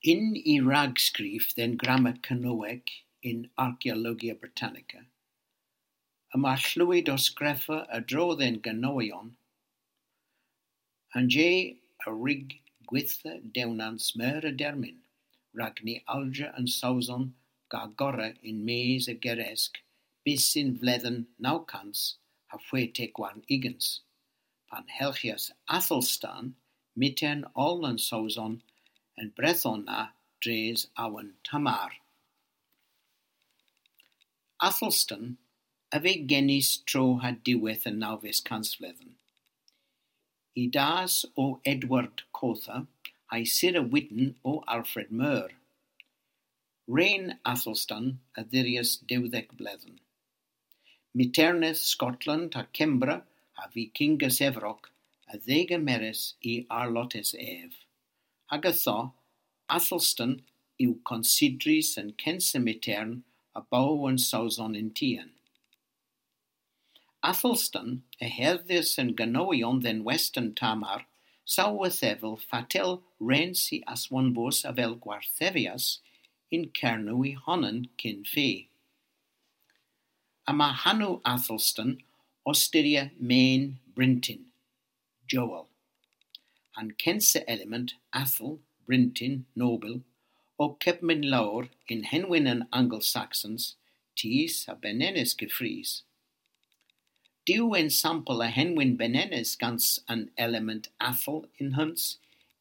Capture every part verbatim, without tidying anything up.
Yn y ragskriv dhe'n grammer Kernowek yn Archaeologia Britannica, yma tlowji doskrefa a-dro dhe'n Gernowyon, an je a wrug gwitha dewnans meur a dermyn, rag ny allja an Sowson gorra yn-mes a Geresk bys yn vledhen naw kans ha hwetek warn ugens, pan helghyas Athelstan, mitern oll an Sowson, an brethon na dres awen Tamar. Athelstan a veu genys tro ha diwedh an nawves kansvledhen. Y das o Edward Kotha, ha'y sur a wydn o Alfred Meur. Ren Athelstan a dhirias dewdhek bledhen. Miterneth Skotland ha Kembra ha Vikingas Evrok a dhegemeras y arlotes ev. Hag ytho, Athelstan yw konsiderys an kensa mitern a bow an Sowson yn tien. Athelstan a herdhyas an Gernowyon dhe'n west an Tamar, saw a dhevel fatel rens hi aswonvos avel gwarthevyas yn Kernow y honan kyn feu. Yma hanow Athelstan ow styrya men bryntin, Joel. An kensa element, Athel, bryntin, nobyl, o kepmyn lowr yn henwyn an Angel-Saxons, tus ha benenes keffrys. Diw ensampel a henwyn benenes gans an element Athel yn-hunn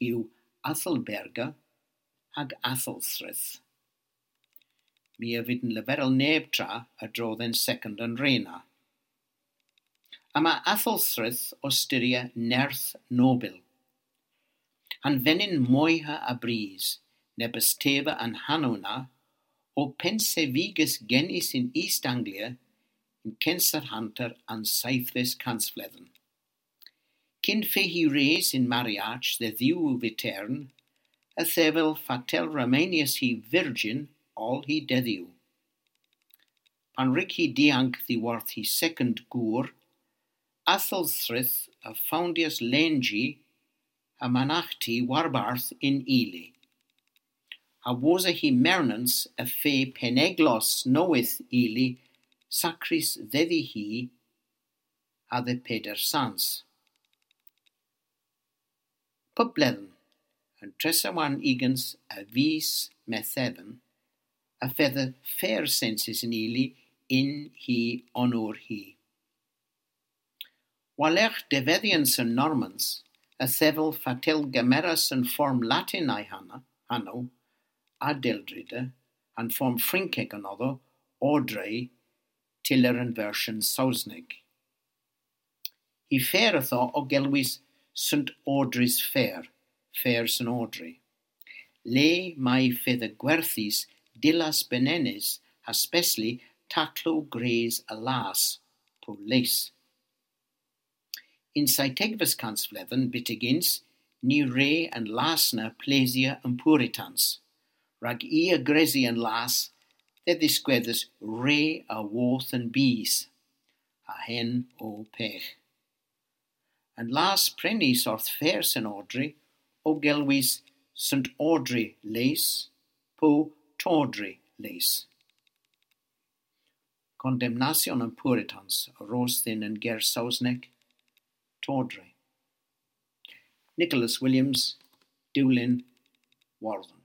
yw Athelberga hag Athelthryth. My a vydn leverel neb tra a-dro dhe'n sekond an re na. Yma Athelthryth ow styrya nerth nobyl. An venyn moyha a brys, nebes teva an hanow na, o pennsevigys genys yn East Anglia yn kynsa hanter an seythves kansvledhen. Kyn feu hi res yn mariaj dhe dhiw vitern, a dhevel fatel remenias hi virjin oll hy dedhyow. Pan wrug hi diank dhiworth hy sekond gour, Athelthryth a fowndyas lenji ha managhti warbarth yn Ely. Ha wosa hy mernans y feu peneglos nowydh Ely sakrys dhedhi hi ha dhe Peder Sans. Pub bledhen, an tressa warn ugens a vis Metheven, y fedha fer sensys yn Ely yn hy onor hi. War-lergh devedhyans an Normans, a dhevel fatel gemeras an form Latin a'y hanow, hanow, Adeldreda, an form Frynkek anodho, Audrey, tyller an versyon Sowsnek. Hy fer ytho o gelwys Saint Audrey's Fair, Fair Saint Audrey. Le may fedha gwerthys dillas benenes ha spesli taklow gwrys a las, po les. Yn seytegves kansvledhen byttegyns, ny wre an las na plesya an Puritans, rag i a gresi an las, dhe dhiskwedhes re a wodh an bys, ha henn o pegh. An las prenys orth Fair Saint Audrey o gelwys Saint Audrey Lace po Tawdry Lace. Kondemnasyon an Puritans a ros dhyn an ger Sowsnek tawdry. Nicholas Williams, Dulyn, Wordhen.